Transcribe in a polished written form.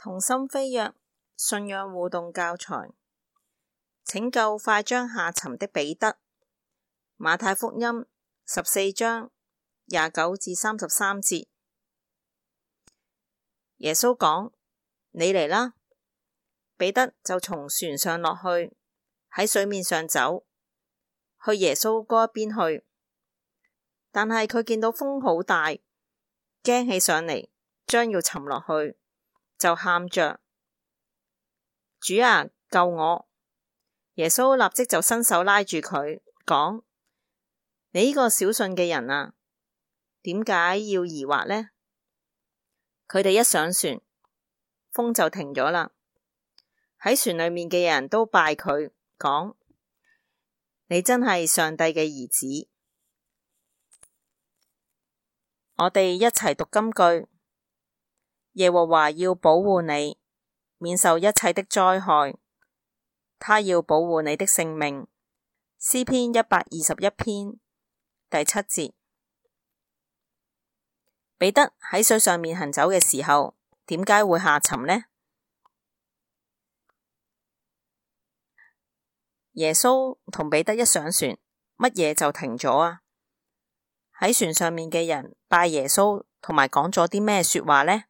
同心飛躍信仰互動教材，拯救快將下沉的彼得。馬太福音14章29至33節，耶穌講：你嚟啦！彼得就從船上落去，喺水面上走，去耶穌嗰一邊去。但係佢見到風好大，驚起上嚟，將要沉落去，就喊着：主啊，救我！耶穌立即就伸手拉住佢，講：你呢個小信嘅人啊，點解要疑惑呢？佢哋一上船，風就停咗啦。喺船裏面嘅人都拜佢，講：你真係上帝嘅兒子。我哋一齊讀金句：耶和華要保護你，免受一切的災害，他要保護你的性命。詩篇121篇第7節。彼得喺水上面行走嘅時候，點解會下沉呢？耶穌同彼得一上船，乜嘢就停咗啊？喺船上面嘅人拜耶穌同埋講咗啲咩說話呢？